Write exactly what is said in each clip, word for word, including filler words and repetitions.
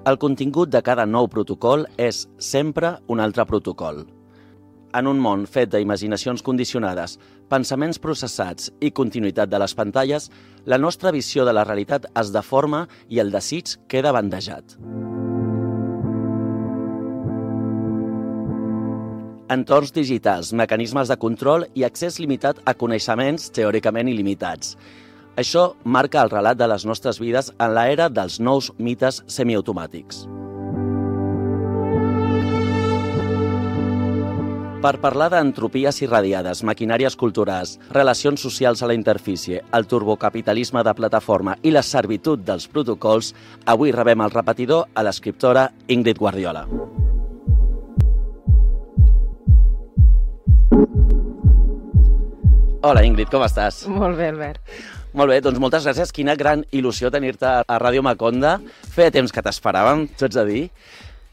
El contingut de cada nou protocol és sempre un altre protocol. En un món fet d'imaginacions condicionades, pensaments processats i continuïtat de les pantalles, la nostra visió de la realitat es deforma i el desig queda bandejat. Entorns digitals, mecanismes de control i accés limitat a coneixements teòricament il·limitats. Això marca el relat de les nostres vides en l'era dels nous mites semiautomàtics. Per parlar d'entropies irradiades, maquinàries culturals, relacions socials a la interfície, el turbocapitalisme de plataforma i la servitud dels protocols, avui rebem el repetidor a l'escriptora Ingrid Guardiola. Hola Ingrid, com estàs? Molt bé, Albert. Molt bé, doncs moltes gràcies. Quina gran il·lusió tenir-te a Ràdio Maconda. Feia temps que t'esperàvem, t'ho haig de dir.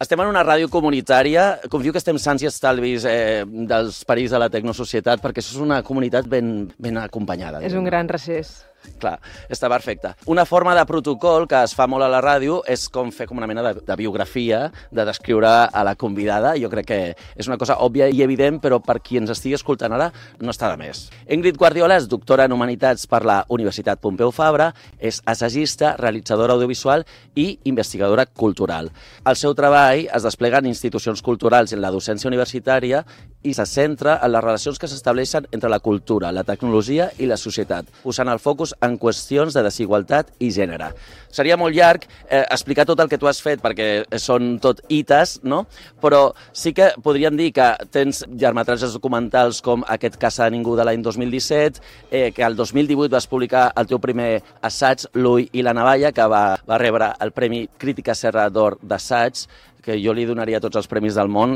Estem en una ràdio comunitària, confio que estem sants i estalvis eh, dels perills de la tecnosocietat, perquè això és una comunitat ben, ben acompanyada. És un gran recés. Clar, està perfecte. Una forma de protocol que es fa molt a la ràdio és com fer com una mena de, de biografia, de descriure a la convidada. Jo crec que és una cosa òbvia i evident, però per qui ens estigui escoltant ara no està de més. Ingrid Guardiola és doctora en Humanitats per la Universitat Pompeu Fabra, és assagista, realitzadora audiovisual i investigadora cultural. El seu treball es desplega en institucions culturals i en la docència universitària i se centra en les relacions que s'estableixen entre la cultura, la tecnologia i la societat, posant el focus en qüestions de desigualtat i gènere. Seria molt llarg eh, explicar tot el que tu has fet, perquè són tot hites, no? Però sí que podríem dir que tens llargmetratges documentals com Aquest caça a ningú de l'any dos mil disset, eh, que el dos mil divuit vas publicar el teu primer assaig, L'ull i la navalla, que va, va rebre el Premi Crítica Serra d'Or d'assaig, que jo li donaria tots els premis del món,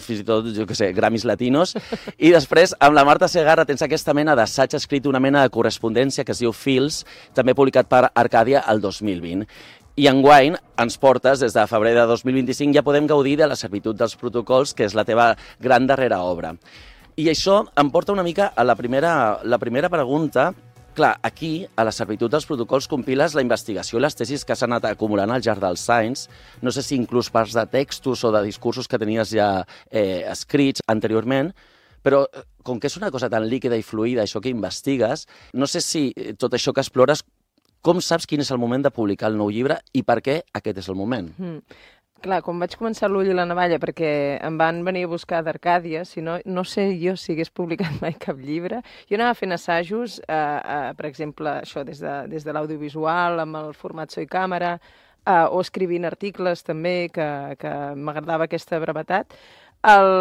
fins i tot, jo què sé, Grammys latinos. I després, amb la Marta Segarra, tens aquesta mena d'assaig escrit, una mena de correspondència que es diu Fils, també publicat per Arcàdia el dos mil vint. I enguany ens portes, des de febrer de dos mil vint-i-cinc, ja podem gaudir de la servitud dels protocols, que és la teva gran darrera obra. I això em porta una mica a la primera, la primera pregunta. Clar, aquí, a la servitud dels protocols, compiles la investigació i les tesis que s'han anat acumulant al llarg dels anys. No sé si inclús parts de textos o de discursos que tenies ja eh, escrits anteriorment, però com que és una cosa tan líquida i fluida, això que investigues, no sé si tot això que explores, com saps quin és el moment de publicar el nou llibre i per què aquest és el moment? Mm. Clar, quan vaig començar L'ull i la navalla, perquè em van venir a buscar d'Arcàdia, si no, no sé jo si hagués publicat mai cap llibre. Jo anava fent assajos, eh, eh, per exemple, això des de, des de l'audiovisual, amb el format So i Càmera, eh, o escrivint articles també, que, que m'agradava aquesta brevetat. El...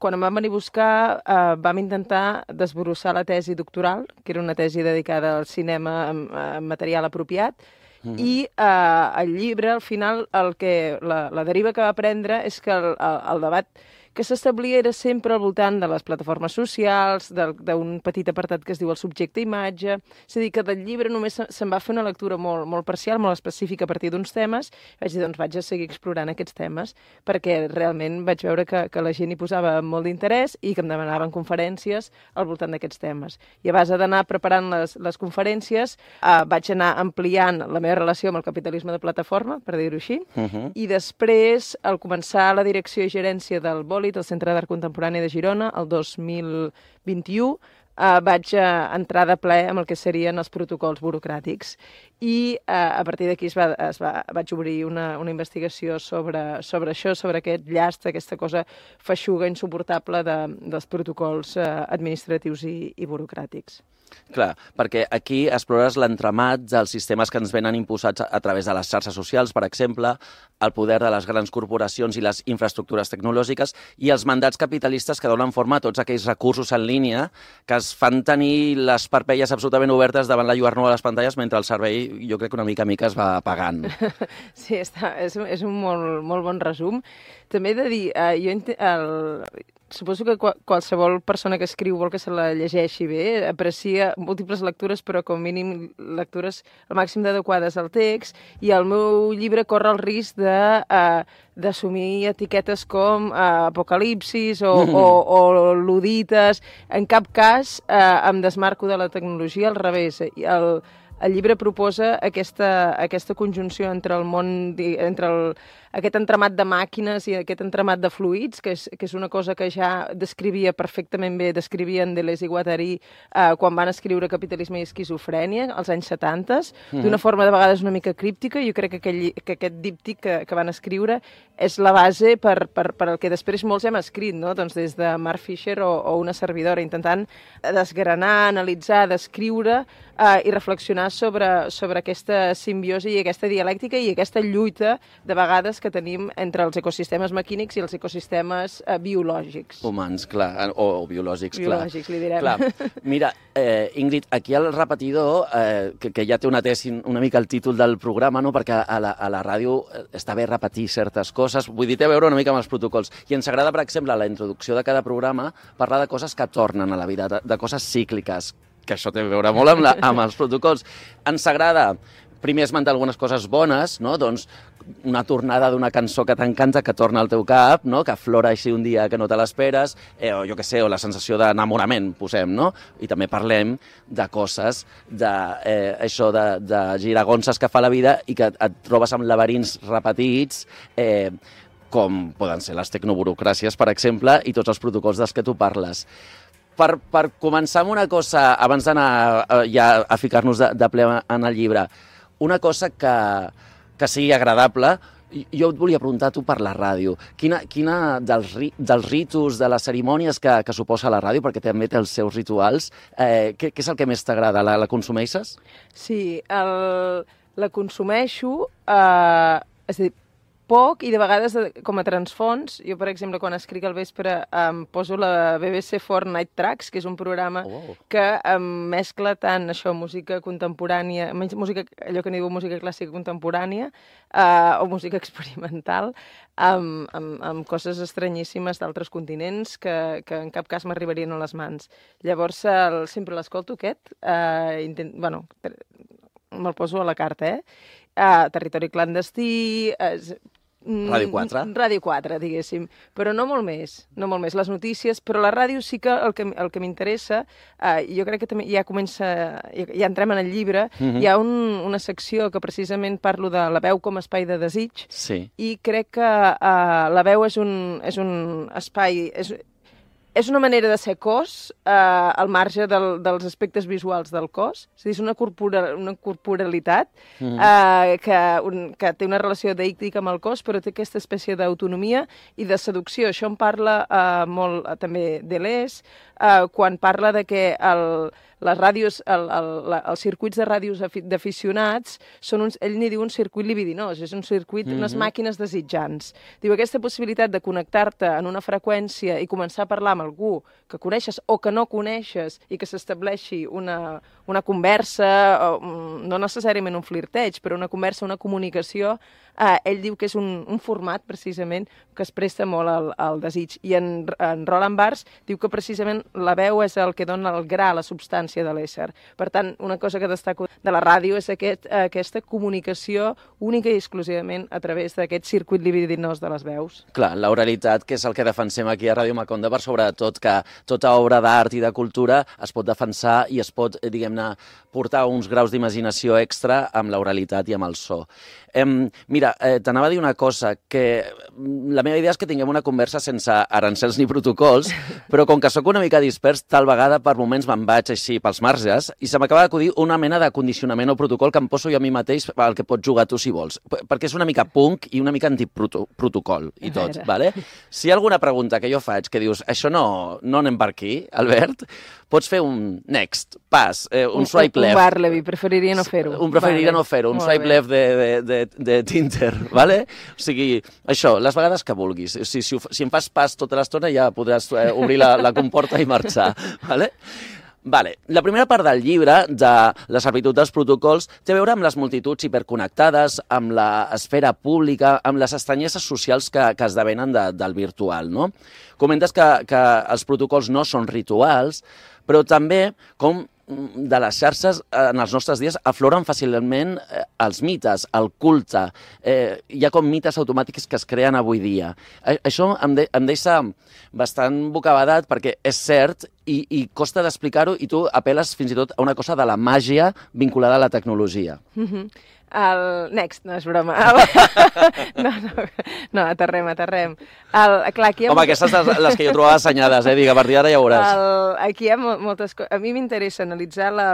Quan em van venir a buscar, eh, vam intentar desbrossar la tesi doctoral, que era una tesi dedicada al cinema amb, amb material apropiat, Mm-hmm. I eh, el llibre, al final, el que, la, la deriva que va prendre és que el, el, el debat que s'establia era sempre al voltant de les plataformes socials, d'un petit apartat que es diu el subjecte-imatge. És a dir, que del llibre només se'n va fer una lectura molt, molt parcial, molt específica a partir d'uns temes. Vaig dir, doncs vaig a seguir explorant aquests temes, perquè realment vaig veure que, que la gent hi posava molt d'interès i que em demanaven conferències al voltant d'aquests temes. I a base d'anar preparant les, les conferències, eh, vaig anar ampliant la meva relació amb el capitalisme de plataforma, per dir-ho així, uh-huh. I després, al començar la direcció i gerència del Bòlit, al Centre d'Art Contemporani de Girona, el dos mil vint-i-u, eh, vaig eh, entrar de ple amb el que serien els protocols burocràtics. I eh, a partir d'aquí es va, es va, vaig obrir una, una investigació sobre, sobre això, sobre aquest llast, aquesta cosa feixuga, insuportable de, dels protocols eh, administratius i, i burocràtics. Clar, perquè aquí explores l'entramat dels sistemes que ens venen imposats a través de les xarxes socials, per exemple, el poder de les grans corporacions i les infraestructures tecnològiques i els mandats capitalistes que donen forma a tots aquells recursos en línia que es fan tenir les parpelles absolutament obertes davant la lluernor de les pantalles mentre el servei, jo crec que una mica a mica es va apagant. Sí, està, és, és un molt, molt bon resum. També he de dir, eh, jo el... suposo que qualsevol persona que escriu vol que se la llegeixi bé, aprecia múltiples lectures, però com mínim lectures al màxim d'adequades al text, i el meu llibre corre el risc de, uh, d'assumir etiquetes com uh, apocalipsis o, mm. o, o ludites. En cap cas uh, em desmarco de la tecnologia, al revés. El, el llibre proposa aquesta, aquesta conjunció entre el món, entre el, aquest entramat de màquines i aquest entramat de fluids, que és, que és una cosa que ja descrivia perfectament bé, descrivien Deleuze i Guattari eh, quan van escriure Capitalisme i esquizofrènia, als anys setanta, mm. d'una forma de vegades una mica críptica. Jo crec que, aquell, que aquest díptic que, que van escriure és la base per, per, per el que després molts hem escrit, no? Doncs des de Mark Fisher o, o una servidora, intentant desgranar, analitzar, descriure eh, i reflexionar sobre, sobre aquesta simbiosi i aquesta dialèctica i aquesta lluita de vegades que tenim entre els ecosistemes maquínics i els ecosistemes eh, biològics. Humans, clar, o, o biològics, clar. Biològics, li direm. Clar. Mira, eh, Ingrid, aquí al repetidor, eh, que, que ja té una tesi una mica el títol del programa, no? Perquè a la, a la ràdio està bé repetir certes coses, vull dir, té a veure una mica amb els protocols. I ens agrada, per exemple, a la introducció de cada programa, parlar de coses que tornen a la vida, de, de coses cícliques, que això té a veure molt amb, la, amb els protocols. Ens agrada primer esmentar algunes coses bones, no? Doncs una tornada d'una cançó que t'encanta, que torna al teu cap, no? Que aflora així un dia que no te l'esperes, eh, o jo què sé, o la sensació d'enamorament, posem, no? I també parlem de coses, de, eh, això de, de giragonses que fa la vida i que et trobes amb laberints repetits, eh, com poden ser les tecnoburocràcies, per exemple, i tots els protocols dels que tu parles. Per, per començar amb una cosa, abans d'anar eh, ja a ficar-nos de, de ple en el llibre, una cosa que, que sigui agradable, jo et volia preguntar tu per la ràdio. Quina, quina dels, ri, dels ritus, de les cerimònies que, que suposa la ràdio, perquè també té els seus rituals, eh, què, què és el que més t'agrada? La, la consumeixes? Sí, el, la consumeixo, eh, és a dir, poc i de vegades com a transfons. Jo, per exemple, quan escric al vespre em poso la B B C four Night Tracks, que és un programa oh. que em mescla tant això, música contemporània, música, allò que n'hi diu música clàssica contemporània eh, o música experimental, amb, amb, amb coses estranyíssimes d'altres continents que, que en cap cas m'arribarien a les mans. Llavors, el, sempre l'escolto aquest, eh, intent, bueno, me'l poso a la carta, eh? Uh, territori clandestí... Uh, Ràdio quatre. Ràdio quatre, diguéssim. Però no molt més, no molt més. Les notícies, però la ràdio sí que el que, el que m'interessa, eh, jo crec que també ja comença, ja, ja entrem en el llibre, uh-huh. hi ha un, una secció que precisament parlo de la veu com a espai de desig, sí. i crec que eh, la veu és un, és un espai... És, És una manera de ser cos eh, al marge del, dels aspectes visuals del cos. És a dir, és una, corpora, una corporalitat mm-hmm. eh, que, un, que té una relació deíctica amb el cos, però té aquesta espècie d'autonomia i de seducció. Això en parla eh, molt eh, també Deleuze, eh, quan parla de que el, les ràdios, el, el, la, els circuits de ràdios d'aficionats són uns, ell n'hi diu un circuit libidinós, és un circuit, mm-hmm. unes màquines desitjants. Diu, aquesta possibilitat de connectar-te en una freqüència i començar a parlar amb algú que coneixes o que no coneixes i que s'estableixi una, una conversa, o, no necessàriament un flirteig, però una conversa, una comunicació, eh, ell diu que és un, un format, precisament, que es presta molt al, al desig. I en, en Roland Barthes diu que precisament la veu és el que dona el gra, la substància de l'ésser. Per tant, una cosa que destaco de la ràdio és aquest, aquesta comunicació única i exclusivament a través d'aquest circuit libidinós de les veus. Clar, l'oralitat, que és el que defensem aquí a Ràdio Macondo, per sobretot que tota obra d'art i de cultura es pot defensar i es pot, diguem-ne, portar uns graus d'imaginació extra amb l'oralitat i amb el so. Eh, mira, eh, t'anava a dir una cosa, que la meva idea és que tinguem una conversa sense arancels ni protocols, però com que sóc una mica dispers, tal vegada per moments me'n vaig així pels marges i se m'acaba d'acudir una mena de condicionament o protocol que em poso jo a mi mateix al que pots jugar tu si vols, perquè és una mica punk i una mica antiprotocol i tot, vale? Si hi ha alguna pregunta que jo faig que dius, això no, no anem per aquí, Albert, pots fer un next, pas, eh, un, un swipe left. Un Barleby, preferiria no fer-ho. Un preferiria vale. no fer-ho, un Molt swipe bé. left de, de, de, de Tinder, vale? O sigui, això, les vegades que vulguis. Si, si, si em fas pas tota l'estona ja podràs eh, obrir la, la comporta i marxar, vale? Vale. La primera part del llibre, de la servitud dels protocols, té a veure amb les multituds hiperconnectades, amb l'esfera pública, amb les estranyesses socials que, que esdevenen de, del virtual, no? Comentes que, que els protocols no són rituals, però també com de les xarxes en els nostres dies afloren fàcilment eh, els mites, el culte. Eh, hi ha com mites automàtics que es creen avui dia. Eh, això em, de, em deixa bastant bocabadat perquè és cert i, i costa d'explicar-ho i tu apel·les fins i tot a una cosa de la màgia vinculada a la tecnologia. Mm-hmm. El... Next, no és broma. El... No, no, no, aterrem, aterrem. El... Clar, aquí hi ha Home, molt... aquestes les, les que jo trobava assenyades, eh? Digue, a partir d'ara ja veuràs. El... Aquí hi ha moltes coses. A mi m'interessa analitzar la...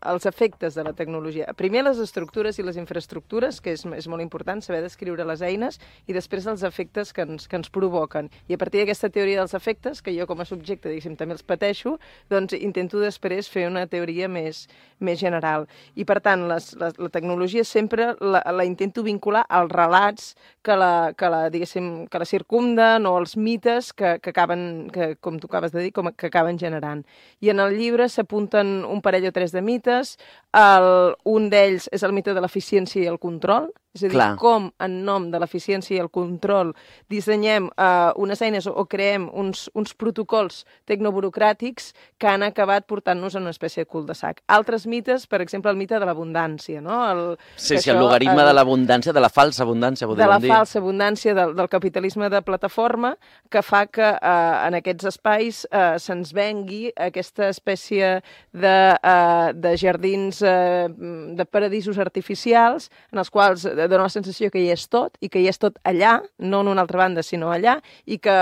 els efectes de la tecnologia. Primer les estructures i les infraestructures, que és, és molt important saber descriure les eines, i després els efectes que ens, que ens provoquen. I a partir d'aquesta teoria dels efectes, que jo com a subjecte, diguéssim, també els pateixo, doncs intento després fer una teoria més, més general. I per tant, les, les, la tecnologia sempre sempre la, la intento vincular als relats que la, que la, diguéssim, que la circumden o els mites que, que acaben, que, com tu acabes de dir, com, que acaben generant. I en el llibre s'apunten un parell o tres de mites. El, un d'ells és el mite de l'eficiència i el control, és a dir, Clar. com en nom de l'eficiència i el control dissenyem uh, unes eines o, o creem uns, uns protocols tecnoburocràtics que han acabat portant-nos a una espècie de cul de sac. Altres mites, per exemple, el mite de l'abundància, no? El, sí, sí, el logaritme el, de l'abundància, de la falsa abundància, podríem dir. De la dir. falsa abundància del, del capitalisme de plataforma que fa que uh, en aquests espais uh, se'ns vengui aquesta espècie de, uh, de jardins, uh, de paradisos artificials en els quals dona la sensació que hi és tot i que hi és tot allà, no en una altra banda, sinó allà, i que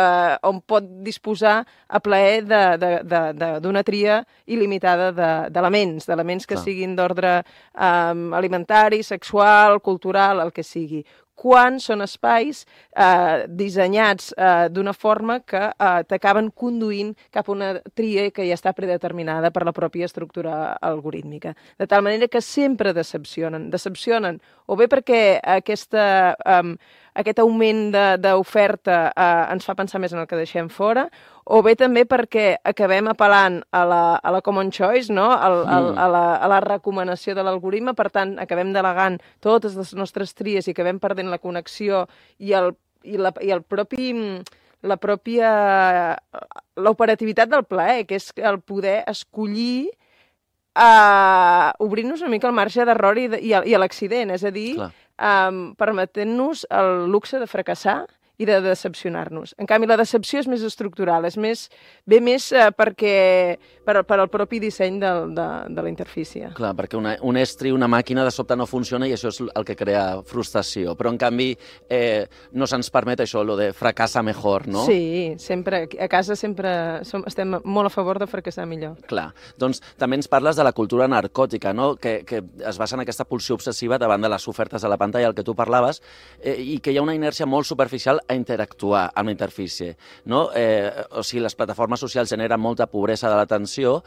on pot disposar a plaer d'una tria il·limitada d'elements, d'elements que siguin d'ordre um, alimentari, sexual, cultural, el que sigui. Quan són espais eh, dissenyats eh, d'una forma que eh, t'acaben conduint cap a una tria que ja està predeterminada per la pròpia estructura algorítmica. De tal manera que sempre decepcionen. Decepcionen o bé perquè aquesta, um, aquest augment d'oferta uh, ens fa pensar més en el que deixem fora, o bé també perquè acabem apel·lant a la, a la common choice, no? Al, al, a, la, a la recomanació de l'algoritme, per tant, acabem delegant totes les nostres tries i acabem perdent la connexió i el, i la, i el propi... la pròpia... l'operativitat del plaer, que és el poder escollir Uh, obrir-nos una mica el marge d'error i, i, i a l'accident, és a dir, um, permetent-nos el luxe de fracassar i de decepcionar-nos. En canvi, la decepció és més estructural, és més, ve més uh, perquè, per, per al propi disseny de, de, de la interfície. Clar, perquè una, un estri, una màquina, de sobte no funciona i això és el que crea frustració. Però, en canvi, eh, no se'ns permet això, lo de fracassa mejor, no? Sí, sempre, a casa sempre som, estem molt a favor de fracassar millor. Clar. Doncs també ens parles de la cultura narcòtica, no? Que, que es basa en aquesta pulsió obsessiva davant de les ofertes de la pantalla, el que tu parlaves, eh, i que hi ha una inèrcia molt superficial a interactuar amb la interfície, no? Eh, o sigui, les plataformes socials generen molta pobresa de l'atenció,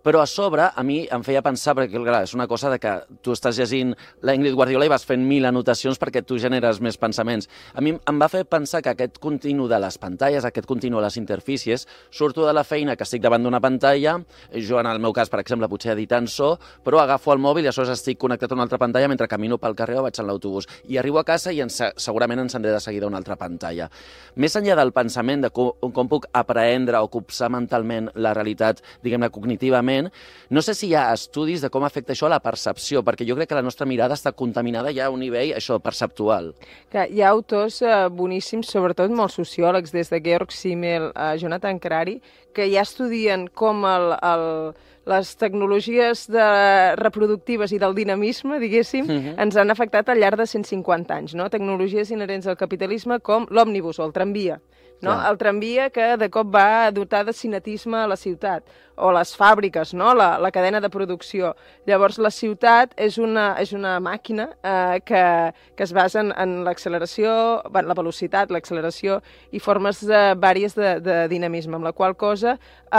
però a sobre a mi em feia pensar, perquè clar, és una cosa de que tu estàs llegint la Ingrid Guardiola i vas fent mil anotacions perquè tu generes més pensaments. A mi em va fer pensar que aquest continu de les pantalles, aquest continu de les interfícies, surto de la feina que estic davant d'una pantalla, jo en el meu cas, per exemple, potser editant so, però agafo el mòbil i aleshores estic connectat a una altra pantalla mentre camino pel carrer o vaig en l'autobús. I arribo a casa i ens, segurament encendré de seguida una altra pantalla. Més enllà del pensament de com, com puc aprendre o copsar mentalment la realitat, diguem-ne, cognitivament, no sé si hi ha estudis de com afecta això a la percepció, perquè jo crec que la nostra mirada està contaminada ja a un nivell, això, perceptual. Clar, hi ha autors eh, boníssims, sobretot molts sociòlegs, des de Georg Simmel a Jonathan Crary, que ja estudien com el, el, les tecnologies de reproductives i del dinamisme, diguéssim, uh-huh. ens han afectat al llarg de cent cinquanta anys, no? Tecnologies inherents al capitalisme com l'òmnibus o el tramvia. No? El tramvia que de cop va dotar de cinetisme a la ciutat, o les fàbriques, no? la, la cadena de producció. Llavors, la ciutat és una, és una màquina eh, que, que es basa en, en l'acceleració, la velocitat, l'acceleració i formes de, vàries de, de dinamisme, amb la qual cosa eh,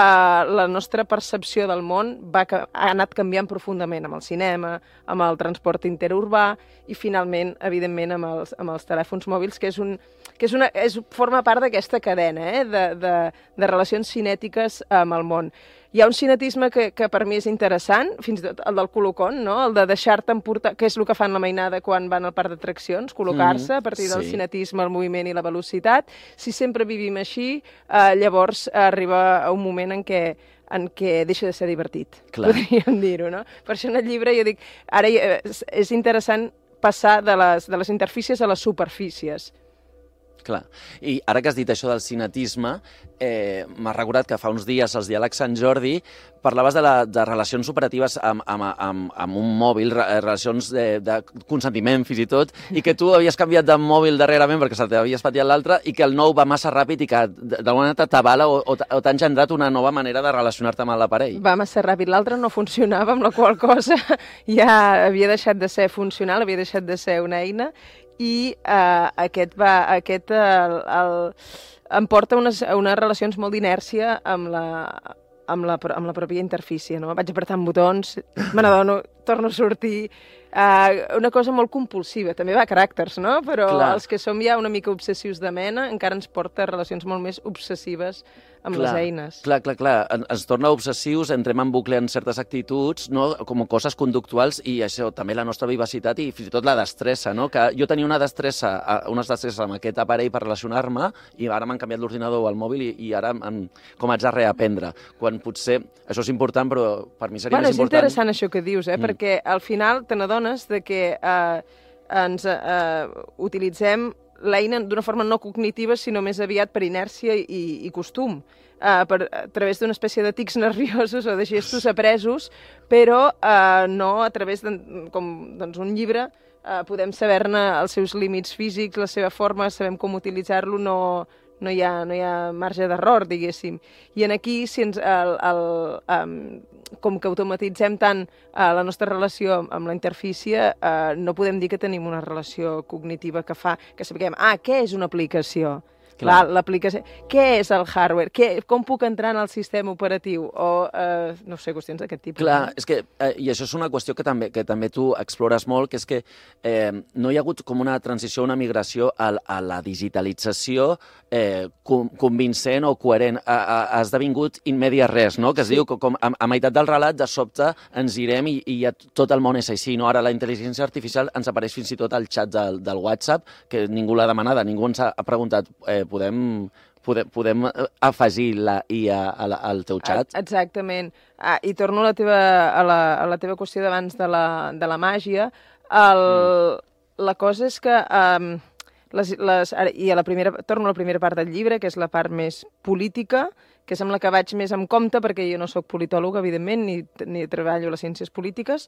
la nostra percepció del món va, ha anat canviant profundament amb el cinema, amb el transport interurbà i, finalment, evidentment, amb els, amb els telèfons mòbils, que és un que és una, és, forma part d'aquesta cadena eh, de, de, de relacions cinètiques amb el món. Hi ha un cinetisme que, que per mi és interessant, fins i tot el del colocón, no? El de deixar-te emportar, que és el que fan la mainada quan van al parc d'atraccions, col·locar-se mm, a partir del sí. cinetisme, el moviment i la velocitat. Si sempre vivim així, eh, llavors arriba un moment en què en què deixa de ser divertit, Clar. podríem dir-ho, no? Per això en el llibre jo dic, ara és interessant passar de les, de les interfícies a les superfícies. Clar. I ara que has dit això del cinetisme, eh, m'ha recordat que fa uns dies als Diàlegs Sant Jordi parlaves de, la, de relacions operatives amb, amb, amb, amb un mòbil, relacions de, de consentiment fins i tot, i que tu havies canviat de mòbil darrerament perquè se t'havia espatllat l'altre i que el nou va massa ràpid i que d'alguna manera t'avala o, o t'ha engendrat una nova manera de relacionar-te amb l'aparell. Va massa ràpid, l'altre no funcionava, amb la qual cosa ja havia deixat de ser funcional, havia deixat de ser una eina, i uh, aquest, va, aquest el, el, em porta unes, unes relacions molt d'inèrcia amb la, amb, la, amb la pròpia interfície, no? Vaig apretant botons, me n'adono, torno a sortir, uh, una cosa molt compulsiva, també va a caràcters, no? Però Clar. Els que som ja una mica obsessius de mena encara ens porta a relacions molt més obsessives amb clar, les eines. Clar, clar, clar. Ens torna obsessius, entrem en bucle en certes actituds, no? Com coses conductuals i això, també la nostra vivacitat i fins i tot la destressa, no? Que jo tenia una destressa, unes destresses amb aquest aparell per relacionar-me i ara m'han canviat l'ordinador o el mòbil i, i ara em, com haig de reaprendre. Quan potser, això és important, però per mi seria bueno, més important... És interessant això que dius, eh? Mm. Perquè al final te n'adones de que eh, ens eh, utilitzem l'eina d'una forma no cognitiva, sinó més aviat per inèrcia i, i costum, uh, per, a través d'una espècie de tics nerviosos o de gestos apresos, però uh, no a través de com, doncs, un llibre. Uh, podem saber-ne els seus límits físics, la seva forma, sabem com utilitzar-lo, no, no, hi ha, no hi ha marge d'error, diguéssim. I en aquí, si ens, el, el, um, com que automatitzem tant uh, la nostra relació amb la interfície, uh, no podem dir que tenim una relació cognitiva que fa que sapiguem, ah, què és una aplicació? Clar, l'aplicació... Què és el hardware? Què, com puc entrar en el sistema operatiu? O, eh, no sé, qüestions d'aquest tipus. Clar, no? és que, eh, i això és una qüestió que també, que també tu explores molt, que és que eh, no hi ha hagut com una transició, una migració a, a la digitalització eh, com, convincent o coherent. Ha, ha, ha esdevingut in media res, no? Que es sí. diu que com a, a meitat del relat, de sobte, ens irem i, i ja tot el món és així. No? Ara la intel·ligència artificial ens apareix fins i tot al xat del, del WhatsApp, que ningú l'ha demanada, ningú ens ha preguntat... Eh, podem, podem, podem afegir la I A al teu xat? Exactament. Ah, I torno a la teva, a la, a la teva qüestió d'abans de, la, de la màgia. El, mm. La cosa és que... Um, les, les, i a la primera, torno a la primera part del llibre, que és la part més política, que és amb la que vaig més en compte, perquè jo no sóc politòloga, evidentment, ni, ni treballo a les ciències polítiques,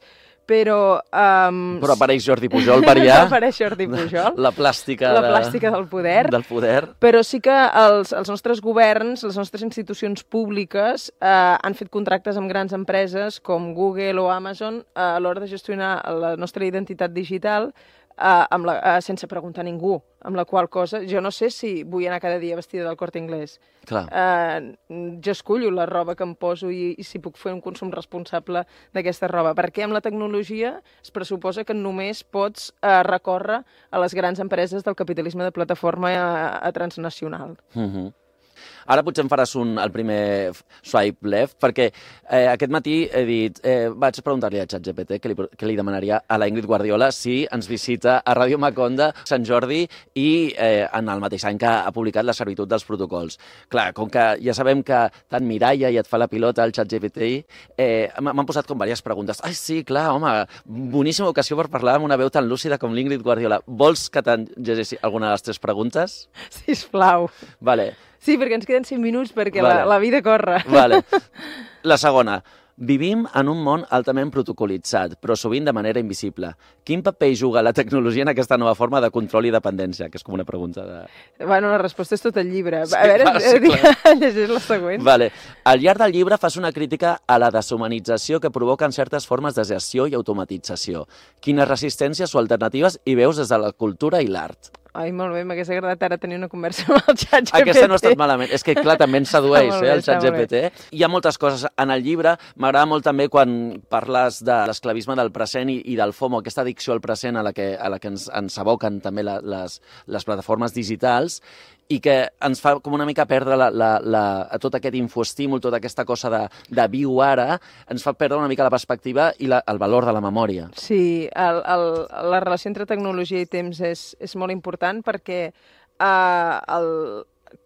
però... Um, però apareix Jordi Pujol per allà. Apareix Jordi Pujol. La plàstica, la plàstica del poder. Del poder. Però sí que els, els nostres governs, les nostres institucions públiques eh, han fet contractes amb grans empreses com Google o Amazon eh, a l'hora de gestionar la nostra identitat digital Uh, amb la, uh, sense preguntar a ningú, amb la qual cosa jo no sé si vull anar cada dia vestida del Corte Inglés. Clar. Uh, jo escullo la roba que em poso i, i si puc fer un consum responsable d'aquesta roba, perquè amb la tecnologia es pressuposa que només pots uh, recórrer a les grans empreses del capitalisme de plataforma a, a transnacional. Mhm. Ara potser em faràs un, el primer swipe left, perquè eh, aquest matí he dit, eh, vaig preguntar-li a ChatGPT què li, què li demanaria a la Ingrid Guardiola si ens visita a Ràdio Maconda Sant Jordi i eh, en el mateix any que ha publicat La servitud dels protocols. Clar, com que ja sabem que tant Mireia i et fa la pilota al ChatGPT, eh, m'han posat com diverses preguntes. Ai, sí, clar, home, boníssima ocasió per parlar amb una veu tan lúcida com l'Ingrid Guardiola. Vols que te'n llegeixi alguna de les tres preguntes? Sisplau. Vale. Sí, perquè ens queden cinc minuts perquè vale. la, la vida corre. Vale. La segona. Vivim en un món altament protocolitzat, però sovint de manera invisible. Quin paper juga la tecnologia en aquesta nova forma de control i dependència? Que és com una pregunta de... Bueno, la resposta és tot el llibre. Sí, a veure, clar, sí, clar. llegeix la següent. Vale. Al llarg del llibre fas una crítica a la deshumanització que provoquen certes formes de gestió i automatització. Quines resistències o alternatives hi veus des de la cultura i l'art? Ai, molt bé, m'hagués agradat ara tenir una conversa amb el ChatGPT. Aquesta no ha estat malament. És que, clar, també ens sedueix, eh, el ChatGPT. Hi ha moltes coses en el llibre. M'agrada molt també quan parles de l'esclavisme del present i, i del FOMO, aquesta addicció al present a la que, a la que ens, ens aboquen també la, les, les plataformes digitals i que ens fa com una mica perdre la, la, la, tot aquest infoestímul, tota aquesta cosa de, de viu ara, ens fa perdre una mica la perspectiva i la, el valor de la memòria. Sí, el, el, la relació entre tecnologia i temps és, és molt important perquè eh, el,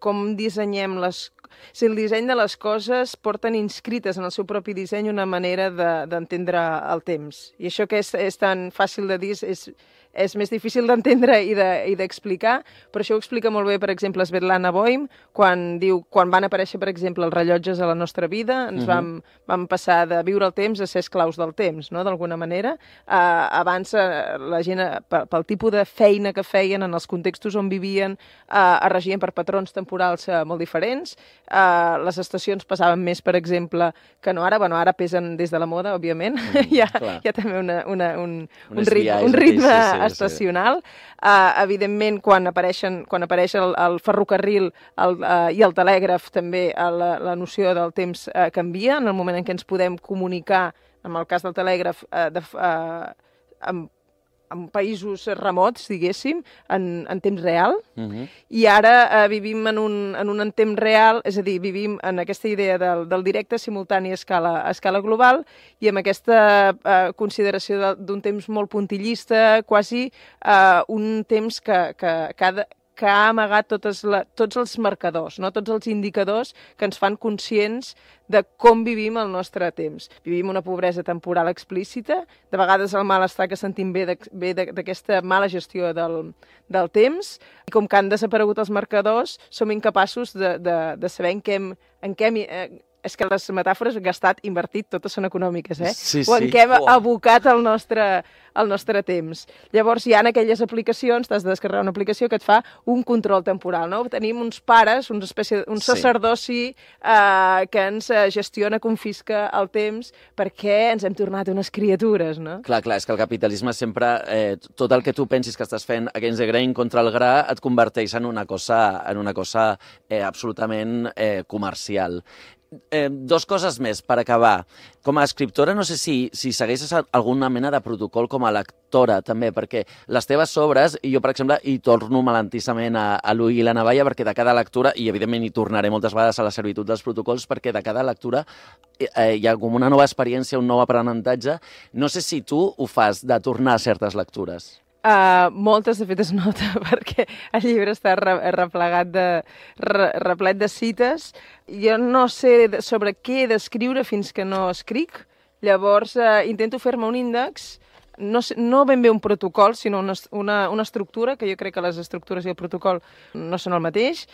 com dissenyem les... O sigui, el disseny de les coses porten inscrites en el seu propi disseny una manera d'entendre de, el temps. I això que és, és tan fàcil de dir és, és més difícil d'entendre i d'explicar, de, però això ho explica molt bé, per exemple, Svetlana Boym, quan diu, quan van aparèixer, per exemple, els rellotges a la nostra vida, ens uh -huh. vam, vam passar de viure el temps a ser esclaus del temps, no?, d'alguna manera. Uh, abans, uh, la gent, uh, pel, pel tipus de feina que feien, en els contextos on vivien, uh, es regien per patrons temporals uh, molt diferents. Uh, les estacions passaven més, per exemple, que no ara. Bueno, ara pesen des de la moda, òbviament. Mm, hi, ha, hi ha també una, una, un, un, un ritme, un ritme sí, sí, estacional. Sí. Uh, evidentment, quan, apareixen, quan apareix el, el ferrocarril el, uh, i el telègraf, també uh, la, la noció del temps uh, canvia. En el moment en què ens podem comunicar, en el cas del telègraf, uh, de, uh, amb en països remots, diguéssim, en, en temps real, uh -huh. i ara eh, vivim en un, en un en temps real, és a dir, vivim en aquesta idea del, del directe simultani a escala, a escala global, i amb aquesta eh, consideració d'un temps molt puntillista, quasi eh, un temps que, que cada que ha amagat totes la, tots els marcadors, no? Tots els indicadors que ens fan conscients de com vivim el nostre temps. Vivim una pobresa temporal explícita, de vegades el malestar que sentim ve d'aquesta mala gestió del, del temps, i com que han desaparegut els marcadors, som incapaços de, de, de saber en què hem... En què hem eh, és que les metàfores gastat, invertit, totes són econòmiques, eh? Sí, sí. O en què hem oh. abocat el nostre, el nostre temps. Llavors hi ha aquelles aplicacions, t'has de descarregar una aplicació que et fa un control temporal, no? Tenim uns pares, una espècie, un sacerdoci eh, que ens gestiona, confisca el temps perquè ens hem tornat unes criatures, no? Clar, clar, és que el capitalisme sempre, eh, tot el que tu pensis que estàs fent against the grain, contra el gra, et converteix en una cosa, en una cosa eh, absolutament eh, comercial. Eh, dos coses més per acabar. Com a escriptora, no sé si, si segueixes alguna mena de protocol com a lectora, també, perquè les teves obres, i jo, per exemple, hi torno malentissament a, a l'ull i la navalla, perquè de cada lectura, i evidentment hi tornaré moltes vegades a la servitud dels protocols, perquè de cada lectura eh, hi ha com una nova experiència, un nou aprenentatge. No sé si tu ho fas, de tornar a certes lectures. Uh, moltes, de fet, es nota, perquè el llibre està re replegat de, re replet de cites. Jo no sé sobre què he d'escriure fins que no escric, llavors uh, intento fer-me un índex, no, sé, no ben bé un protocol, sinó una, una, una estructura, que jo crec que les estructures i el protocol no són el mateix,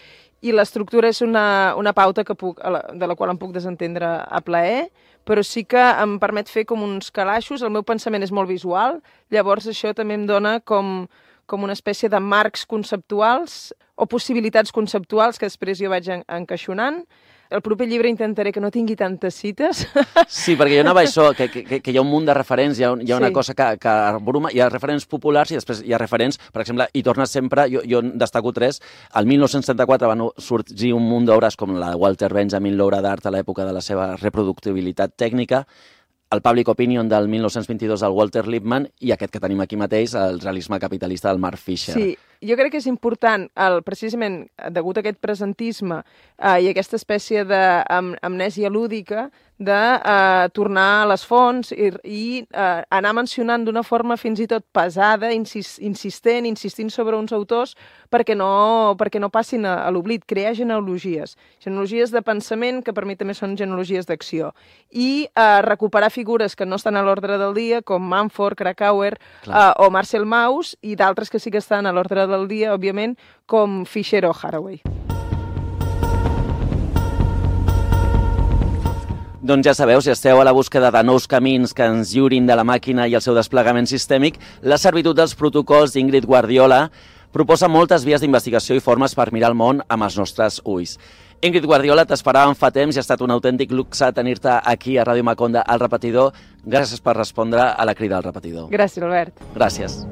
i l'estructura és una, una pauta que puc, de la qual em puc desentendre a plaer, però sí que em permet fer com uns calaixos. El meu pensament és molt visual, llavors això també em dona com, com una espècie de marcs conceptuals o possibilitats conceptuals que després jo vaig en, encaixonant. El proper llibre intentaré que no tingui tantes cites. Sí, perquè hi ha una això, que, que, que hi ha un munt de referents, hi ha, hi ha una sí. cosa que, que bruma, hi ha referents populars i després hi ha referents, per exemple, i tornes sempre, jo, jo destaco tres, el mil nou-cents setanta-quatre van sorgir un munt d'obres com la de Walter Benjamin, l'obra d'art a l'època de la seva reproductibilitat tècnica, el Public Opinion del mil nou-cents vint-i-dos del Walter Lippmann i aquest que tenim aquí mateix, el realisme capitalista del Mark Fisher. Sí, jo crec que és important, el, precisament degut a aquest presentisme eh, i aquesta espècie d'amnèsia lúdica, de eh, tornar a les fonts i, i eh, anar mencionant d'una forma fins i tot pesada, insist, insistent, insistint sobre uns autors perquè no, perquè no passin a, a l'oblit, crear genealogies, genealogies de pensament que per mi també són genealogies d'acció, i eh, recuperar figures que no estan a l'ordre del dia, com Manford, Krakauer eh, o Marcel Mauss, i d'altres que sí que estan a l'ordre del dia, òbviament, com Fisher o Haraway. Doncs ja sabeu, si esteu a la búsqueda de nous camins que ens lliurin de la màquina i el seu desplegament sistèmic, la servitud dels protocols d'Ingrid Guardiola proposa moltes vies d'investigació i formes per mirar el món amb els nostres ulls. Ingrid Guardiola, t'esperàvem fa temps i ha estat un autèntic luxe tenir-te aquí a Ràdio Maconda al Repetidor. Gràcies per respondre a la crida al Repetidor. Gràcies, Albert. Gràcies.